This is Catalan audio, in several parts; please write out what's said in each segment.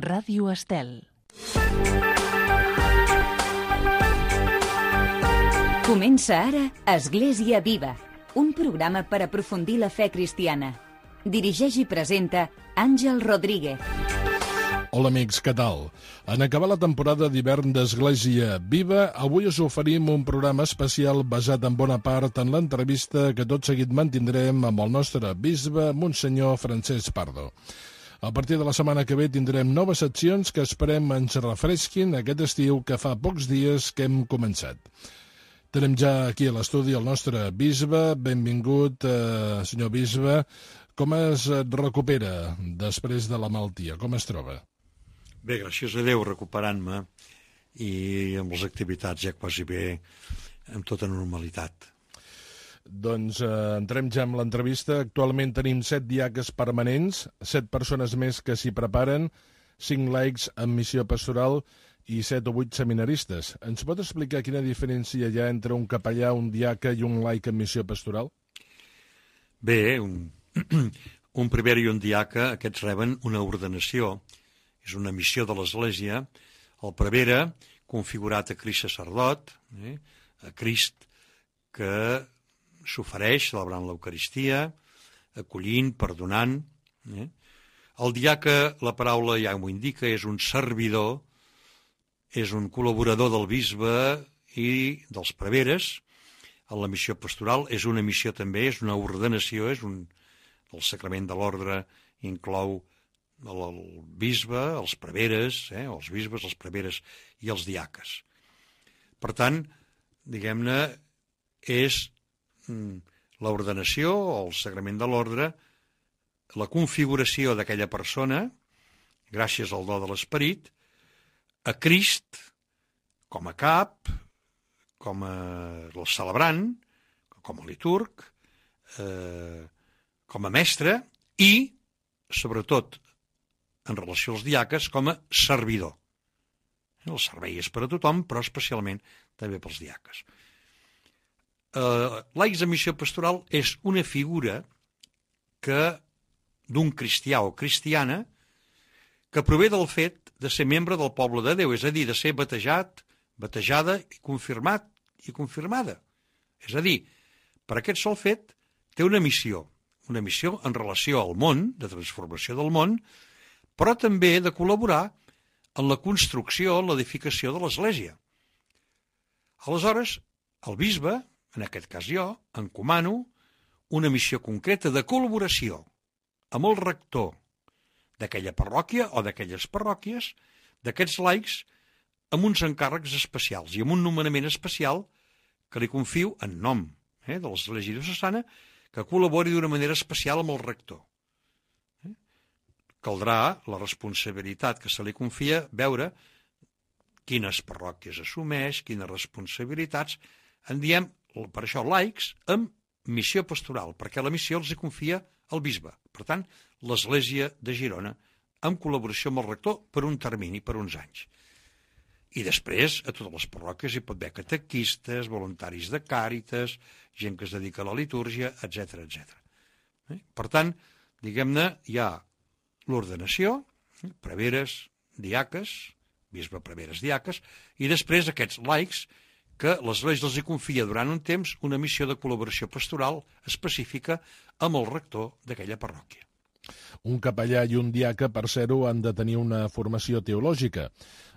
Ràdio Estel. Comença ara Església Viva, un programa per aprofundir la fe cristiana. Dirigeix i presenta Àngel Rodríguez. Hola amics, què tal? En acabar la temporada d'hivern d'Església Viva, avui us oferim un programa especial basat en bona part en l'entrevista que tot seguit mantindrem amb el nostre bisbe, Monsenyor Francesc Pardo. A partir de la setmana que ve tindrem noves seccions que esperem ens refresquin aquest estiu que fa pocs dies que hem començat. Tenim ja aquí a l'estudi el nostre bisbe. Benvingut, senyor bisbe. Com es recupera després de la malaltia? Com es troba? Bé, gràcies a Déu, recuperant-me i amb les activitats ja quasi bé amb tota normalitat. Doncs entrem ja amb l'entrevista. Actualment tenim 7 diaques permanents, 7 persones més que s'hi preparen, 5 laics en missió pastoral i 7 o 8 seminaristes. Ens pot explicar quina diferència hi ha entre un capellà, un diaca i un laic en missió pastoral? Bé, un prevere i un diaca, aquests reben una ordenació. És una missió de l'Església. El prevere, configurat a Crist sacerdot, a Crist que s'ofereix celebrant l'Eucaristia, acollint, perdonant. El diaca, la paraula ja m'ho indica, és un servidor, és un col·laborador del bisbe i dels preveres. En la missió pastoral és una missió també, és una ordenació, el sacrament de l'ordre inclou el bisbe, els preveres, els bisbes, els preveres i els diaques. Per tant, diguem-ne, és l'ordenació o el sacrament de l'ordre, la configuració d'aquella persona, gràcies al do de l'Esperit, a Crist, com a cap, com a celebrant, com a liturg, com a mestre i, sobretot, en relació als diaques, com a servidor. El servei és per a tothom, però especialment també pels diaques. Laics de missió pastoral és una figura d'un cristià o cristiana que prové del fet de ser membre del poble de Déu, és a dir, de ser batejat, batejada i confirmat i confirmada. És a dir, per aquest sol fet té una missió en relació al món, de transformació del món, però també de col·laborar en la construcció, en l'edificació de l'Església. Aleshores, el bisbe, en aquest cas jo, encomano una missió concreta de col·laboració amb el rector d'aquella parròquia o d'aquelles parròquies, d'aquests laics, amb uns encàrrecs especials i amb un nomenament especial que li confio en nom de l'Església diocesana, que col·labori d'una manera especial amb el rector. Caldrà la responsabilitat que se li confia veure quines parròquies assumeix, quines responsabilitats. En diem, per això, laics amb missió pastoral, perquè la missió els hi confia el bisbe. Per tant, l'Església de Girona, en col·laboració amb el rector per un termini, per uns anys. I després, a totes les parròquies hi pot haver catequistes, voluntaris de càritas, gent que es dedica a la litúrgia, etc. Per tant, diguem-ne, hi ha l'ordenació, preveres, diaques, bisbe, preveres, diaques, i després aquests laics que l'Església els hi confia durant un temps una missió de col·laboració pastoral específica amb el rector d'aquella parròquia. Un capellà i un diaca, per ser-ho, han de tenir una formació teològica.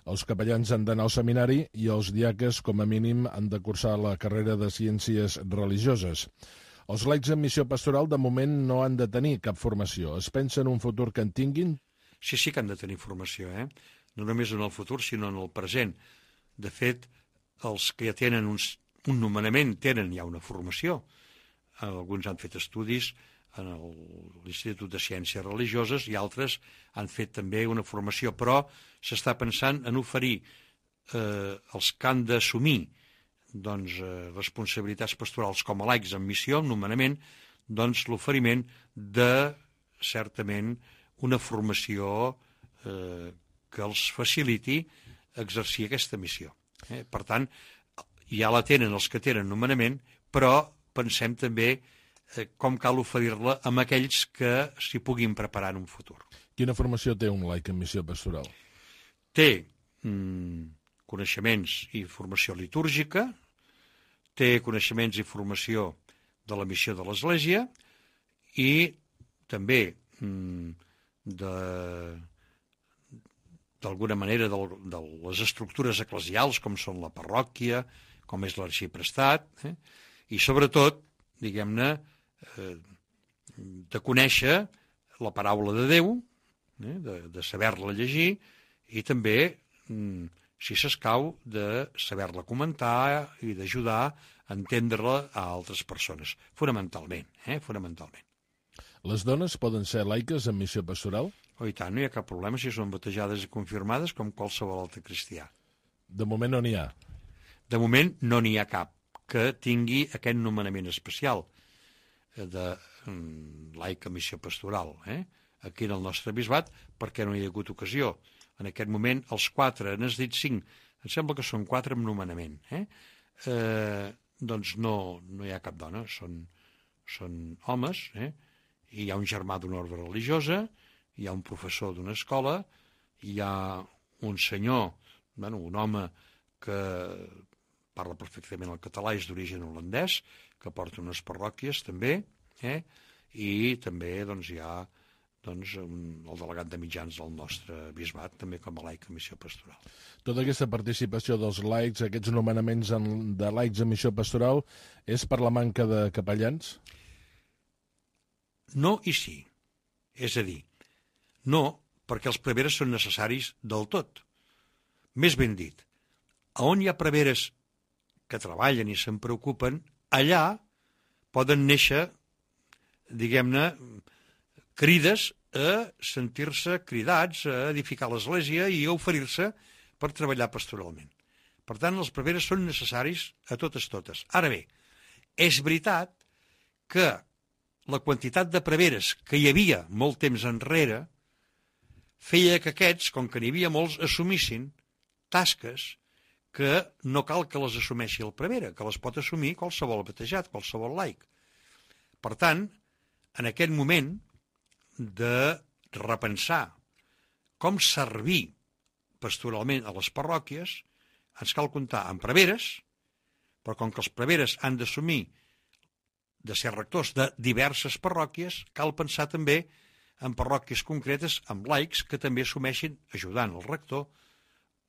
Els capellans han d'anar al seminari i els diaques, com a mínim, han de cursar la carrera de ciències religioses. Els laics en missió pastoral, de moment, no han de tenir cap formació. Es pensa en un futur que en tinguin? Sí que han de tenir formació, no només en el futur, sinó en el present. De fet, els que ja tenen un nomenament tenen ja una formació. Alguns han fet estudis en l'Institut de Ciències Religioses i altres han fet també una formació, però s'està pensant en oferir els que han d'assumir responsabilitats pastorals com a laics en missió, en nomenament, l'oferiment de, certament, una formació que els faciliti exercir aquesta missió. Per tant, ja la tenen els que tenen nomenament, però pensem també com cal oferir-la amb aquells que s'hi puguin preparar en un futur. Quina formació té un laic en missió pastoral? Té coneixements i formació litúrgica, té coneixements i formació de la missió de l'Església i també d'alguna manera de les estructures eclesials com són la parròquia, com és l'arxiprestat, i sobretot, diguem-ne, de conèixer la paraula de Déu, de saber-la llegir i també, si s'escau, de saber-la comentar i d'ajudar a entendre-la a altres persones, fonamentalment. Les dones poden ser laiques en missió pastoral? Oh, i tant, no hi ha cap problema si són batejades i confirmades com qualsevol altre cristià. De moment no n'hi ha. De moment no n'hi ha cap que tingui aquest nomenament especial de laic en missió pastoral, aquí en el nostre bisbat, perquè no hi ha hagut ocasió. En aquest moment, els 4, n'has dit 5, em sembla que són 4 amb nomenament. Doncs no hi ha cap dona, són homes, i hi ha un germà d'una ordre religiosa, hi ha un professor d'una escola, hi ha un senyor, un home que parla perfectament el català, és d'origen holandès, que porta unes parròquies també, i també hi ha el delegat de mitjans del nostre bisbat, també com a laic en missió pastoral. Tota aquesta participació dels laics, aquests nomenaments de laics en missió pastoral, és per la manca de capellans? No i sí. És a dir, no perquè els preveres són necessaris del tot. Més ben dit, on hi ha preveres que treballen i se'n preocupen, allà poden néixer, diguem-ne, crides a sentir-se cridats a edificar l'Església i a oferir-se per treballar pastoralment. Per tant, els preveres són necessaris a totes. Ara bé, és veritat que la quantitat de preveres que hi havia molt temps enrere feia que aquests, com que n'hi havia molts, assumissin tasques que no cal que les assumeixi el prevere, que les pot assumir qualsevol batejat, qualsevol laic. Per tant, en aquest moment de repensar com servir pastoralment a les parròquies, ens cal comptar amb preveres, però com que els preveres han d'assumir de ser rectors de diverses parròquies, cal pensar també en parròquies concretes, amb laics que també assumeixin, ajudant el rector,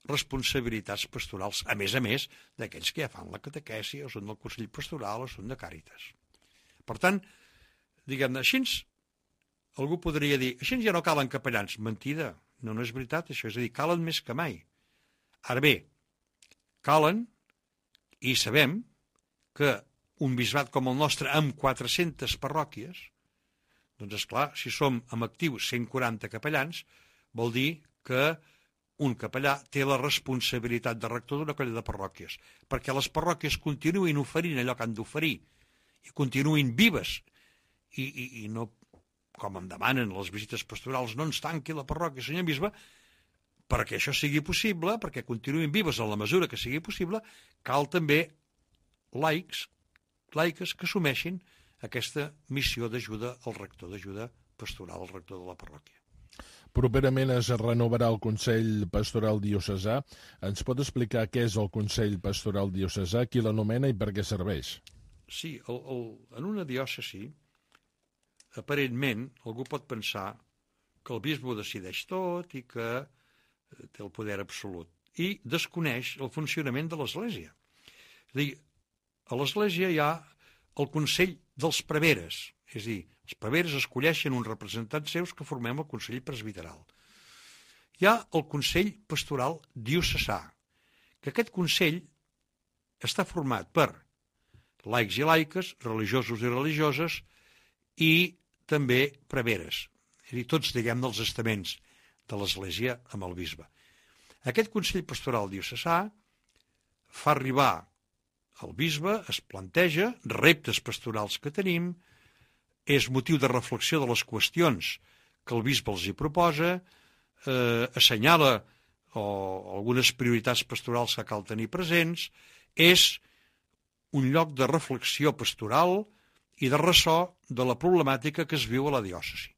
responsabilitats pastorals, a més d'aquells que ja fan la catequesi, o són del Consell Pastoral, o són de Càritas. Per tant, diguem-ne, així algú podria dir, així ja no calen capellans. Mentida, no és veritat això, és a dir, calen més que mai. Ara bé, calen, i sabem que un bisbat com el nostre, amb 400 parròquies, doncs esclar, si som amb actius 140 capellans, vol dir que un capellà té la responsabilitat de rector d'una colla de parròquies, perquè les parròquies continuïn oferint allò que han d'oferir, i continuïn vives, i no, com em demanen les visites pastorals, no ens tanqui la parròquia, senyor bisbe, perquè això sigui possible, perquè continuïn vives en la mesura que sigui possible, cal també laics, laiques que assumeixin aquesta missió d'ajuda al rector, d'ajuda pastoral al rector de la parròquia. Properament es renovarà el Consell Pastoral Diocesà. Ens pot explicar què és el Consell Pastoral Diocesà, qui l'anomena i per què serveix? Sí, en una diòcesi, aparentment, algú pot pensar que el bisbe ho decideix tot i que té el poder absolut, i desconeix el funcionament de l'Església. És a dir, a l'Església hi ha el Consell dels Preveres, és a dir, els preveres escolleixen uns representants seus que formem el Consell Presbiteral. Hi ha el Consell Pastoral Diocesà, que aquest Consell està format per laics i laiques, religiosos i religioses, i també preveres, és a dir, tots, diguem, dels estaments de l'Església amb el bisbe. Aquest Consell Pastoral Diocesà fa arribar al bisbe, es planteja reptes pastorals que tenim, és motiu de reflexió de les qüestions que el bisbe els hi proposa, assenyala algunes prioritats pastorals que cal tenir presents, és un lloc de reflexió pastoral i de ressò de la problemàtica que es viu a la diòcesi.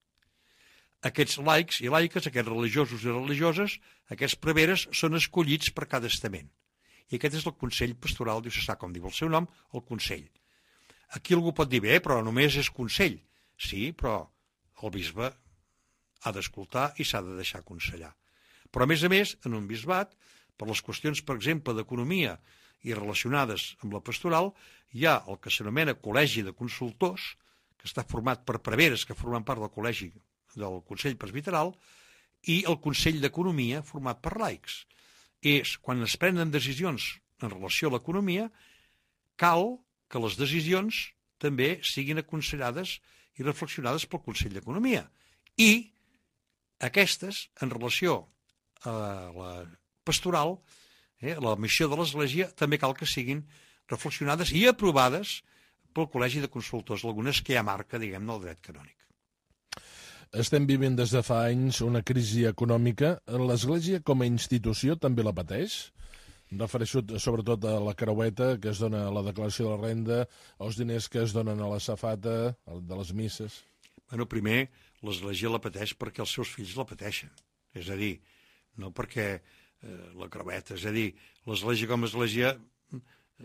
aquests laics i laiques, aquests religiosos i religioses, aquests preveres, són escollits per cada estament. I aquest és el Consell Pastoral Diocesà, com diu el seu nom, el Consell. Aquí algú pot dir, bé, però només és Consell. Sí, però el bisbe ha d'escoltar i s'ha de deixar aconsellar. Però, a més, en un bisbat, per les qüestions, per exemple, d'economia i relacionades amb la pastoral, hi ha el que s'anomena Col·legi de Consultors, que està format per preveres que formen part del col·legi del Consell Presbiteral, i el Consell d'Economia, format per laics. És, quan es prenen decisions en relació a l'economia, cal que les decisions també siguin aconsellades i reflexionades pel Consell d'Economia. I aquestes, en relació a la pastoral, la missió de l'Església, també cal que siguin reflexionades i aprovades pel Col·legi de Consultors, algunes que ja marca, diguem-ne, el dret canònic. Estem vivint des de fa anys una crisi econòmica. L'Església com a institució també la pateix? Em refereixo sobretot a la creueta que es dona a la declaració de la renda, als diners que es donen a la safata, de les misses. Bueno, primer, l'Església la pateix perquè els seus fills la pateixen. És a dir, no perquè la creueta. És a dir, l'Església com a Església,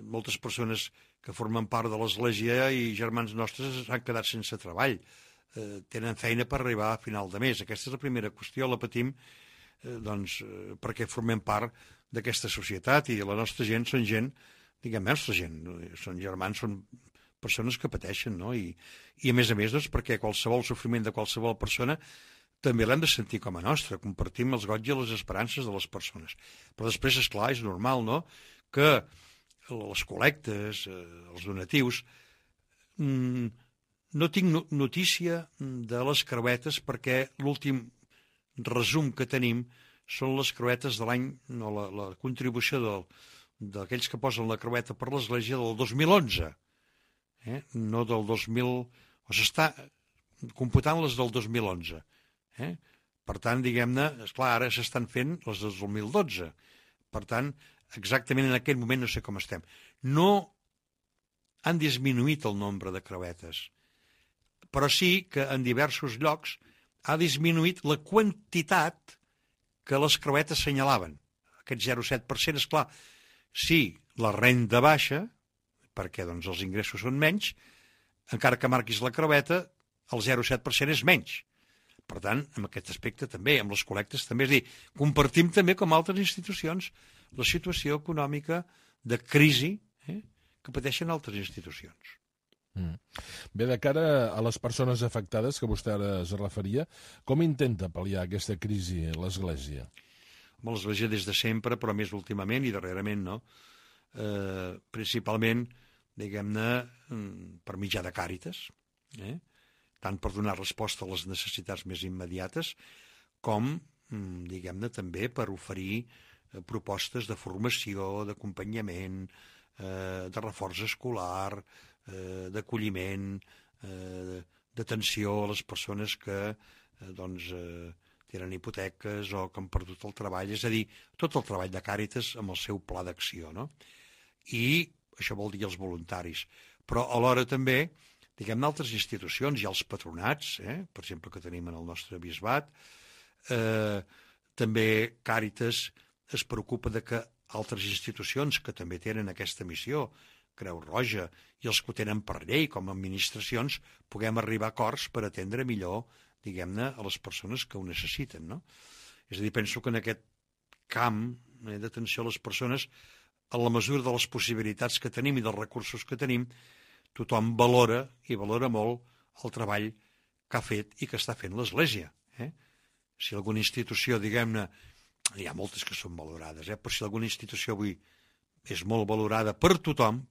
moltes persones que formen part de l'Església i germans nostres han quedat sense treball. Tenen feina per arribar a final de mes. Aquesta és la primera qüestió, la patim perquè formem part d'aquesta societat i la nostra gent són gent, diguem, nostra gent, són germans, són persones que pateixen, no? I a més, doncs, perquè qualsevol sofriment de qualsevol persona també l'hem de sentir com a nostre, compartim els goig i les esperances de les persones. Però després, esclar, és normal, no?, que les col·lectes, els donatius, no tinc notícia de les creuetes perquè l'últim resum que tenim són les creuetes de l'any, no, la contribució d'aquells que posen la creueta per l'Església del 2011, no del 2000... O s'està computant les del 2011. Per tant, diguem-ne, esclar, ara s'estan fent les del 2012. Per tant, exactament en aquest moment no sé com estem. No han disminuït el nombre de creuetes, però sí que en diversos llocs ha disminuït la quantitat que les creuetes senyalaven. Aquest 0,7%, esclar, si la renda baixa, perquè doncs, els ingressos són menys, encara que marquis la creueta, el 0,7% és menys. Per tant, en aquest aspecte també, amb les col·lectes també, és a dir, compartim també com altres institucions la situació econòmica de crisi que pateixen altres institucions. Bé, de cara a les persones afectades, que vostè ara es referia, com intenta pal·liar aquesta crisi l'Església? L'Església des de sempre, però més últimament i darrerament, no? Principalment, diguem-ne, per mitjà de Càritas, tant per donar resposta a les necessitats més immediates, com, diguem-ne, també per oferir propostes de formació, d'acompanyament, de reforç escolar, d'acolliment, d'atenció a les persones que tenen hipoteques o que han perdut el treball, és a dir, tot el treball de Càritas amb el seu pla d'acció, no? I això vol dir els voluntaris. Però alhora també, diguem-ne, altres institucions, hi ha els patronats, per exemple, que tenim en el nostre bisbat, també Càritas es preocupa de que altres institucions que també tenen aquesta missió, Creu Roja, i els que ho tenen per llei com a administracions, puguem arribar a acords per atendre millor, diguem-ne, a les persones que ho necessiten, no? És a dir, penso que en aquest camp d'atenció a les persones, en la mesura de les possibilitats que tenim i dels recursos que tenim, tothom valora i valora molt el treball que ha fet i que està fent l'Església. Si alguna institució, diguem-ne, hi ha moltes que són valorades, però si alguna institució avui és molt valorada per tothom,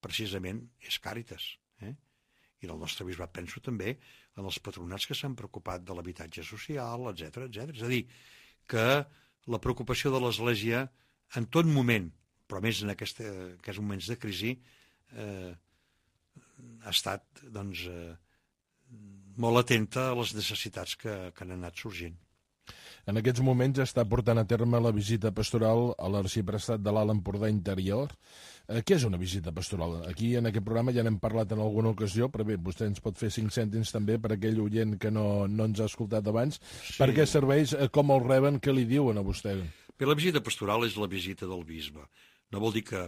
precisament és Càritas. I en el nostre bisbat penso també en els patronats que s'han preocupat de l'habitatge social, etc. És a dir, que la preocupació de l'Església en tot moment, però més en aquests moments de crisi, ha estat molt atenta a les necessitats que han anat sorgint. En aquests moments està portant a terme la visita pastoral a l'arxiprestat de l'Alt Empordà Interior. Què és una visita pastoral? Aquí en aquest programa ja n'hem parlat en alguna ocasió, però bé, vostè ens pot fer 5 cèntims també per aquell oient que no ens ha escoltat abans. Sí. Per què serveix, com el reben, què li diuen a vostè? Bé, la visita pastoral és la visita del bisbe. No vol dir que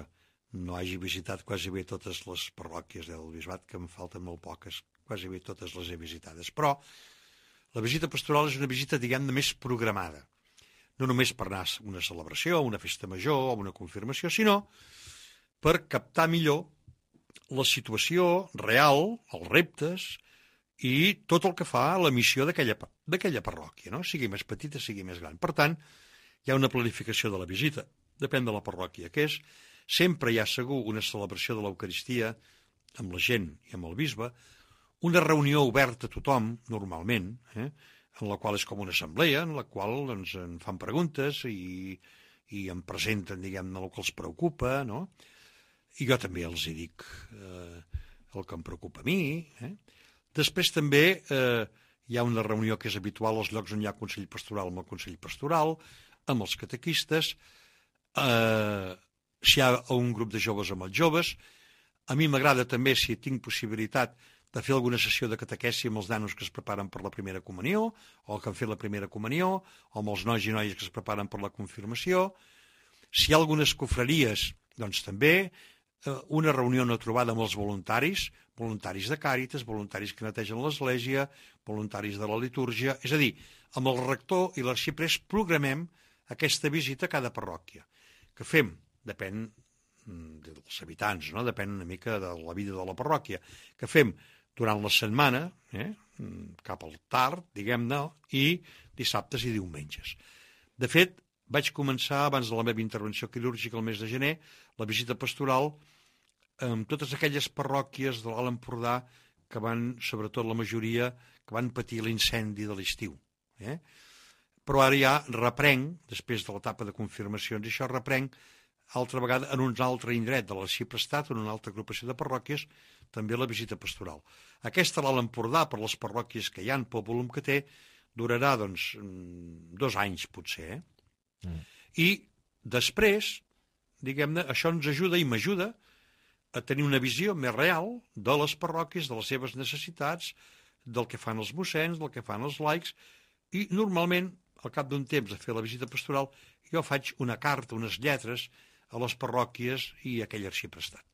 no hagi visitat quasi bé totes les parròquies del bisbat, que em falten molt poques, quasi bé totes les he visitades. Però la visita pastoral és una visita, diguem-ne, més programada. No només per anar a una celebració, a una festa major, a una confirmació, sinó per captar millor la situació real, els reptes i tot el que fa a la missió d'aquella parròquia, no? Sigui més petita, sigui més gran. Per tant, hi ha una planificació de la visita, depèn de la parròquia que és. Sempre hi ha segur una celebració de l'Eucaristia amb la gent i amb el bisbe, una reunió oberta a tothom, normalment, en la qual és com una assemblea, en la qual doncs, en fan preguntes i em presenten, diguem-ne, el que els preocupa, no? I jo també els hi dic el que em preocupa a mi. Després també hi ha una reunió que és habitual als llocs on hi ha Consell Pastoral amb el Consell Pastoral, amb els catequistes, si hi ha un grup de joves amb els joves. A mi m'agrada també, si tinc possibilitat, de fer alguna sessió de catequesi amb els nanos que es preparen per la primera comunió, o que han fet la primera comunió, o amb els nois i noies que es preparen per la confirmació. Si hi ha algunes cofreries, doncs també una reunió, una trobada amb els voluntaris de Càritas, voluntaris que netegen l'església, voluntaris de la litúrgia. És a dir, amb el rector i l'arxiprés programem aquesta visita a cada parròquia. Que fem? Depèn dels habitants, no? Depèn una mica de la vida de la parròquia. Que fem durant la setmana, cap al tard, diguem-ne, i dissabtes i diumenges. De fet, vaig començar, abans de la meva intervenció quirúrgica el mes de gener, la visita pastoral amb totes aquelles parròquies de l'Alt Empordà que van, sobretot la majoria, que van patir l'incendi de l'estiu. Però ara ja reprenc, després de l'etapa de confirmacions, i això reprenc altra vegada en un altre indret de l'arxiprestat, en una altra agrupació de parròquies, també la visita pastoral. Aquesta a l'Alt Empordà, per les parròquies que hi ha, pel volum que té, durarà, doncs, 2 anys, potser. I després, diguem-ne, això ens ajuda i m'ajuda a tenir una visió més real de les parròquies, de les seves necessitats, del que fan els mossens, del que fan els laics, i normalment, al cap d'un temps de fer la visita pastoral, jo faig una carta, unes lletres a les parròquies i a aquell arxiprestat.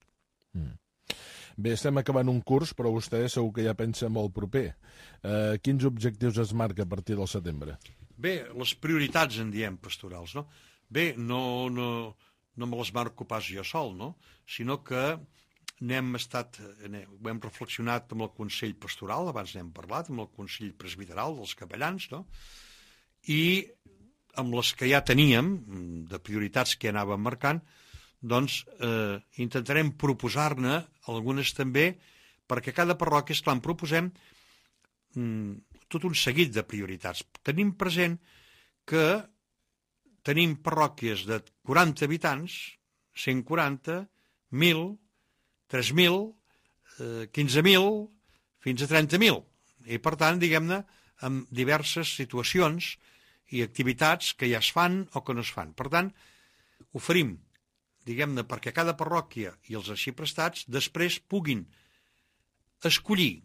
Bé, estem acabant un curs, però vostè segur que ja pensa molt proper. Quins objectius es marca a partir del setembre? Bé, les prioritats en diem pastorals, no? Bé, no me les marco pas jo sol, no? Sinó que ho hem reflexionat amb el Consell Pastoral, abans n'hem parlat, amb el Consell Presbiteral dels capellans, no? I amb les que ja teníem, de prioritats que anàvem marcant, doncs intentarem proposar-ne algunes també, perquè cada parròquia, esclar, en proposem tot un seguit de prioritats. Tenim present que tenim parròquies de 40 habitants, 140, 1.000, 3.000, 15.000, fins a 30.000. I, per tant, diguem-ne, amb diverses situacions i activitats que ja es fan o que no es fan. Per tant, oferim, diguem-ne, perquè cada parròquia i els arxiprestats després puguin escollir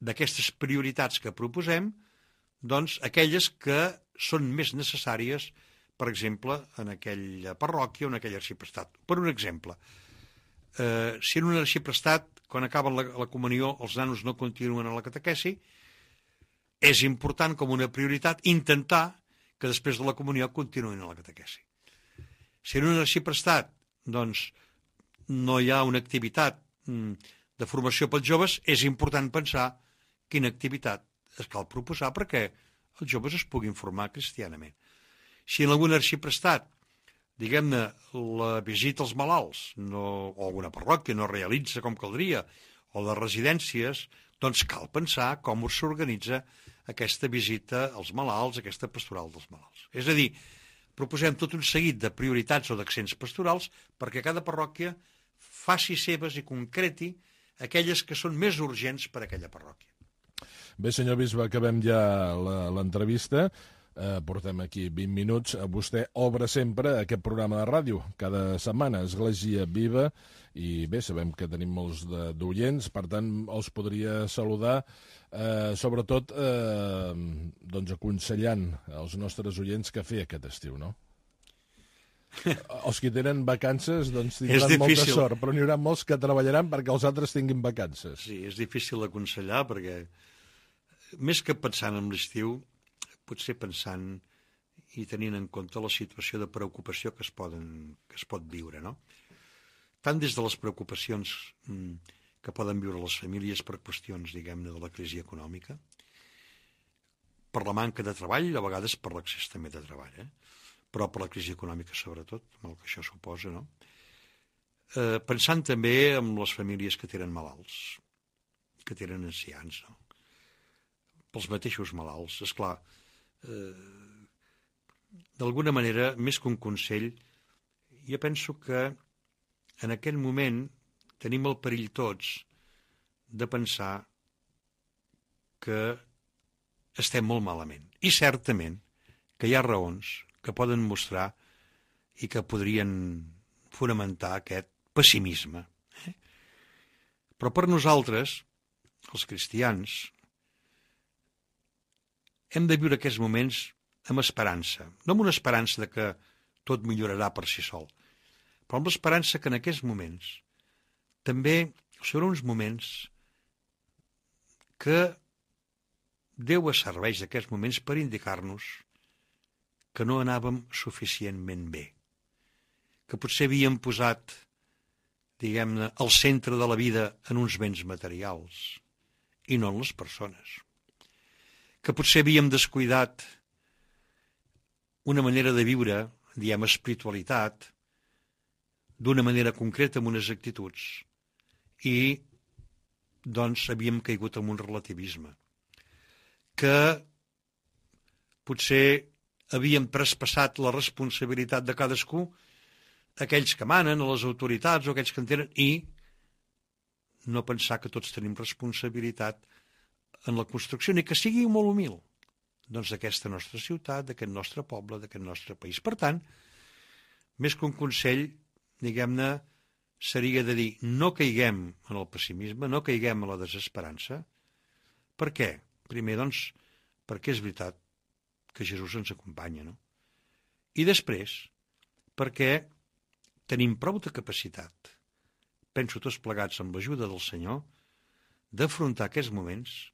d'aquestes prioritats que proposem, doncs, aquelles que són més necessàries, per exemple, en aquella parròquia o en aquell arxiprestat. Per un exemple, si en un arxiprestat, quan acaben la comunió, els nanos no continuen a la catequesi, és important, com una prioritat, intentar que després de la comunió continuïn a la catequesi. Si en un arxiprestat, doncs, no hi ha una activitat de formació pels joves, és important pensar quina activitat es cal proposar perquè els joves es puguin formar cristianament. Si en algun arxiprestat, diguem-ne, la visita als malalts o alguna parròquia no realitza com caldria, o de residències, doncs cal pensar com s'organitza aquesta visita als malalts, aquesta pastoral dels malalts. És a dir, proposem tot un seguit de prioritats o d'accents pastorals perquè cada parròquia faci seves i concreti aquelles que són més urgents per a aquella parròquia. Bé, senyor bisbe, acabem ja l'entrevista. portem aquí 20 minuts. Vostè obre sempre aquest programa de ràdio, cada setmana, Església Viva, i bé, sabem que tenim molts d'oients, per tant, els podria saludar, sobretot doncs aconsellant als nostres oients què fer aquest estiu, no? Els que tenen vacances doncs tindran molta sort, però n'hi haurà molts que treballaran perquè els altres tinguin vacances. Sí, és difícil d'aconsellar perquè més que pensant en l'estiu, potser pensant i tenint en compte la situació de preocupació que es pot viure, no? Tant des de les preocupacions que poden viure les famílies per qüestions, diguem-ne, de la crisi econòmica, per la manca de treball, a vegades per l'accés també de treball, però per la crisi econòmica sobretot, amb el que això suposa, no? Pensant també en les famílies que tenen malalts, que tenen ancians, no? Pels mateixos malalts, esclar, d'alguna manera, més que un consell, jo penso que en aquell moment tenim el perill tots de pensar que estem molt malament. I certament que hi ha raons que poden mostrar i que podrien fonamentar aquest pessimisme. Però per nosaltres, els cristians, hem de viure aquests moments amb esperança, no amb una esperança de que tot millorarà per si sol, però amb l'esperança que en aquests moments també seran uns moments que Déu es serveix d'aquests moments per indicar-nos que no anàvem suficientment bé, que potser havíem posat, diguem-ne, el centre de la vida en uns béns materials i no en les persones, que potser havíem descuidat una manera de viure, diem espiritualitat, d'una manera concreta amb unes actituds, i doncs havíem caigut en un relativisme, que potser havíem traspassat la responsabilitat de cadascú a aquells que manen, a les autoritats o aquells que en tenen, i no pensar que tots tenim responsabilitat en la construcció, ni que sigui molt humil, doncs d'aquesta nostra ciutat, d'aquest nostre poble, d'aquest nostre país. Per tant, més que un consell, diguem-ne, seria de dir, no caiguem en el pessimisme, no caiguem en la desesperança. Per què? Primer, doncs, perquè és veritat que Jesús ens acompanya, no? I després, perquè tenim prou de capacitat, penso tots plegats amb l'ajuda del Senyor, d'afrontar aquests moments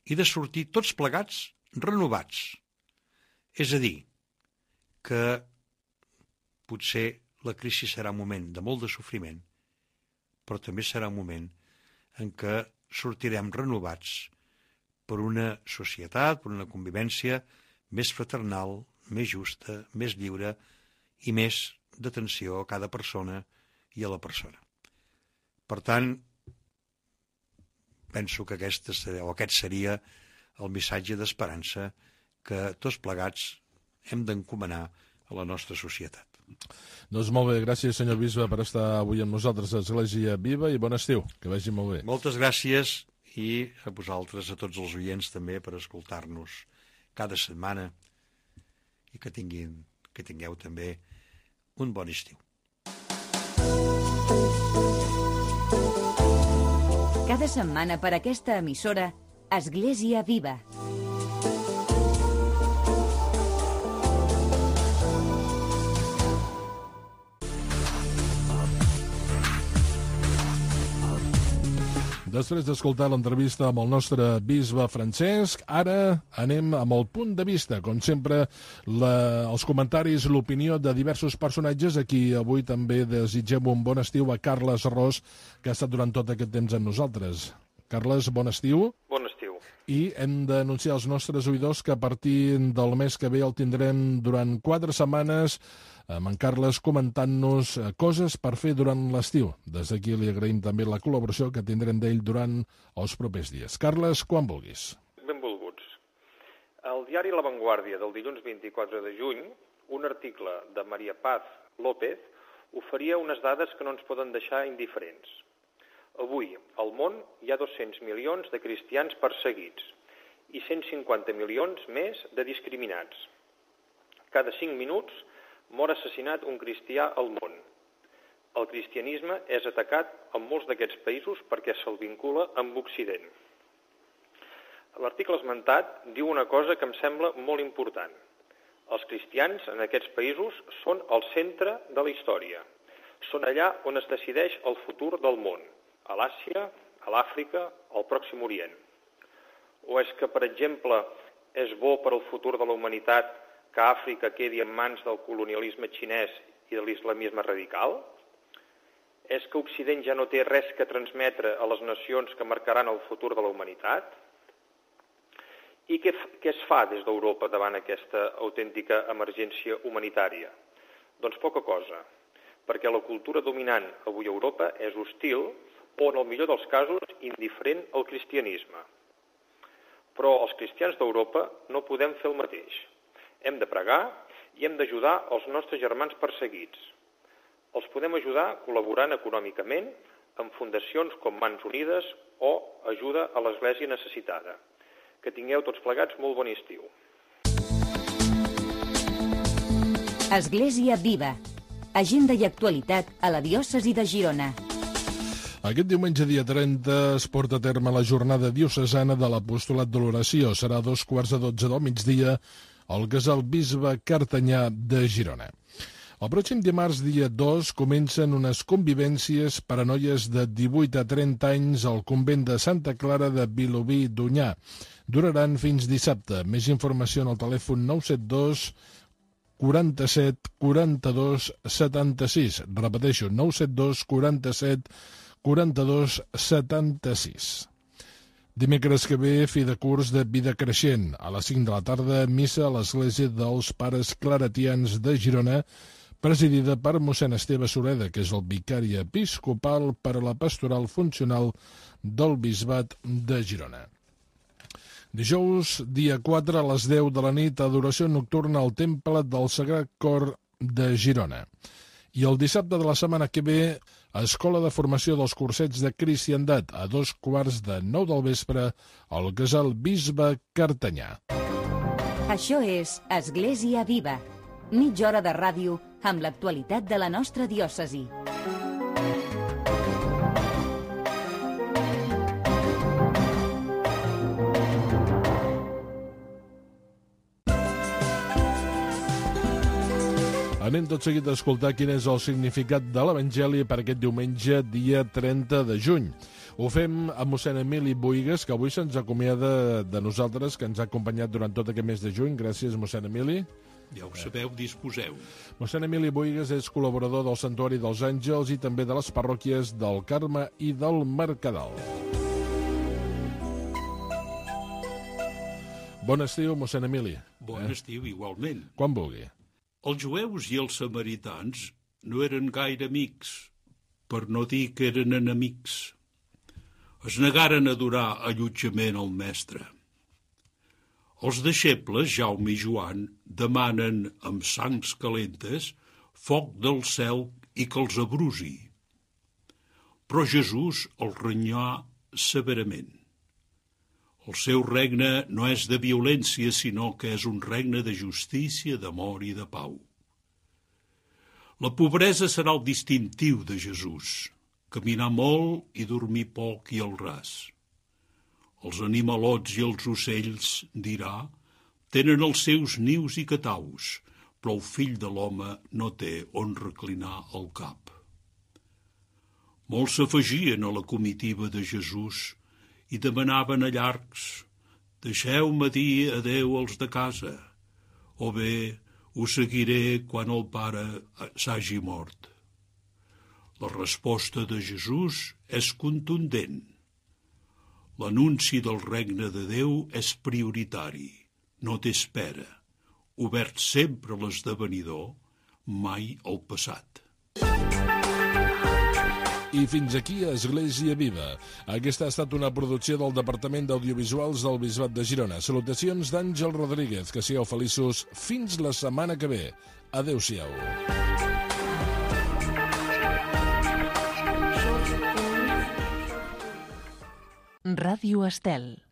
i de sortir tots plegats renovats. És a dir, que potser la crisi serà un moment de molt de sofriment, però també serà un moment en què sortirem renovats per una societat, per una convivència més fraternal, més justa, més lliure i més d'atenció a cada persona i a la persona. Per tant, penso que aquest seria el missatge d'esperança que tots plegats hem d'encomanar a la nostra societat. Doncs molt bé, gràcies senyor bisbe per estar avui amb nosaltres a Església Viva i bon estiu, que vagi molt bé. Moltes gràcies i a vosaltres, a tots els oients també, per escoltar-nos cada setmana i que tingueu també un bon estiu. Cada setmana per aquesta emissora, Església Viva. Després d'escoltar l'entrevista amb el nostre bisbe Francesc, ara anem amb el punt de vista. Com sempre, els comentaris, l'opinió de diversos personatges. Aquí avui també desitgem un bon estiu a Carles Ros, que ha estat durant tot aquest temps amb nosaltres. Carles, bon estiu. Bon estiu. I hem d'anunciar als nostres oïdors que a partir del mes que ve el tindrem durant 4 setmanes amb en Carles comentant-nos coses per fer durant l'estiu. Des d'aquí li agraïm també la col·laboració que tindrem d'ell durant els propers dies. Carles, quan vulguis. Benvolguts. Al diari La Vanguardia del dilluns 24 de juny, un article de Maria Paz López oferia unes dades que no ens poden deixar indiferents. Avui, al món, hi ha 200 milions de cristians perseguits i 150 milions més de discriminats. Cada 5 minuts mor assassinat un cristià al món. El cristianisme és atacat en molts d'aquests països perquè se'l vincula amb Occident. L'article esmentat diu una cosa que em sembla molt important. Els cristians en aquests països són el centre de la història. Són allà on es decideix el futur del món, a l'Àsia, a l'Àfrica, al Pròxim Orient. O és que, per exemple, és bo per al futur de la humanitat que Àfrica quedi en mans del colonialisme xinès i de l'islamisme radical? És que Occident ja no té res que transmetre a les nacions que marcaran el futur de la humanitat? I què es fa des d'Europa davant aquesta autèntica emergència humanitària? Doncs poca cosa, perquè la cultura dominant avui a Europa és hostil o, en el millor dels casos, indiferent al cristianisme. Però els cristians d'Europa no podem fer el mateix. Hem de pregar i hem d'ajudar els nostres germans perseguits. Els podem ajudar col·laborant econòmicament amb fundacions com Mans Unides o ajuda a l'Església necessitada. Que tingueu tots plegats molt bon estiu. Església Viva. Agenda i actualitat a la diòcesi de Girona. Aquest diumenge, dia 30, es porta a terme la jornada diocesana de l'Apostolat de l'Oració. Serà a 12:45 del migdia al casal Bisbe Cartanyà de Girona. El pròxim dimarts, dia 2, comencen unes convivències per a noies de 18 a 30 anys al convent de Santa Clara de Vilobí d'Onyar. Duraran fins dissabte. Més informació en el telèfon 972 47 42 76. Repeteixo, 972 47 42 76. Dimecres que ve, fi de curs de Vida Creixent. A les 5 de la tarda, missa a l'Església dels Pares Claretians de Girona, presidida per mossèn Esteve Sureda, que és el vicari episcopal per a la pastoral funcional del Bisbat de Girona. Dijous, dia 4, a les 10 de la nit, adoració nocturna al Temple del Sagrat Cor de Girona. I el dissabte de la setmana que ve, Escola de Formació dels Cursets de Cristiandat, a 8:45 del vespre, al casal Bisbe Cartanyà. Això és Església Viva. Mitja hora de ràdio amb l'actualitat de la nostra diòcesi. Anem tot seguit a escoltar quin és el significat de l'Evangeli per aquest diumenge, dia 30 de juny. Ho fem amb mossèn Emili Boigues, que avui se'ns acomiada de nosaltres, que ens ha acompanyat durant tot aquest mes de juny. Gràcies, mossèn Emili. Ja ho sabeu, disposeu. Mossèn Emili Boigues és col·laborador del Santuari dels Àngels i també de les parròquies del Carme i del Mercadal. Bon estiu, mossèn Emili. Bon estiu, igualment. Quan vulgui. Els jueus i els samaritans no eren gaire amics, per no dir que eren enemics. Es negaren a donar allotjament al mestre. Els deixebles, Jaume i Joan, demanen amb sangs calentes foc del cel i que els abrusi. Però Jesús els renyà severament. El seu regne no és de violència, sinó que és un regne de justícia, d'amor i de pau. La pobresa serà el distintiu de Jesús, caminar molt i dormir poc i al ras. Els animalots i els ocells, dirà, tenen els seus nius i cataus, però el fill de l'home no té on reclinar el cap. Molts s'afegien a la comitiva de Jesús i demanaven a llargs: deixeu-me dir adeu als de casa, o bé us seguiré quan el pare s'hagi mort. La resposta de Jesús és contundent. L'anunci del regne de Déu és prioritari, no té espera, obert sempre a l'esdevenidor, mai al passat. I fins aquí Església Viva. Aquesta ha estat una producció del Departament d'Audiovisuals del Bisbat de Girona. Salutacions d'Àngel Rodríguez. Que sigueu feliços fins la setmana que ve. Adéu-siau. Ràdio Estel.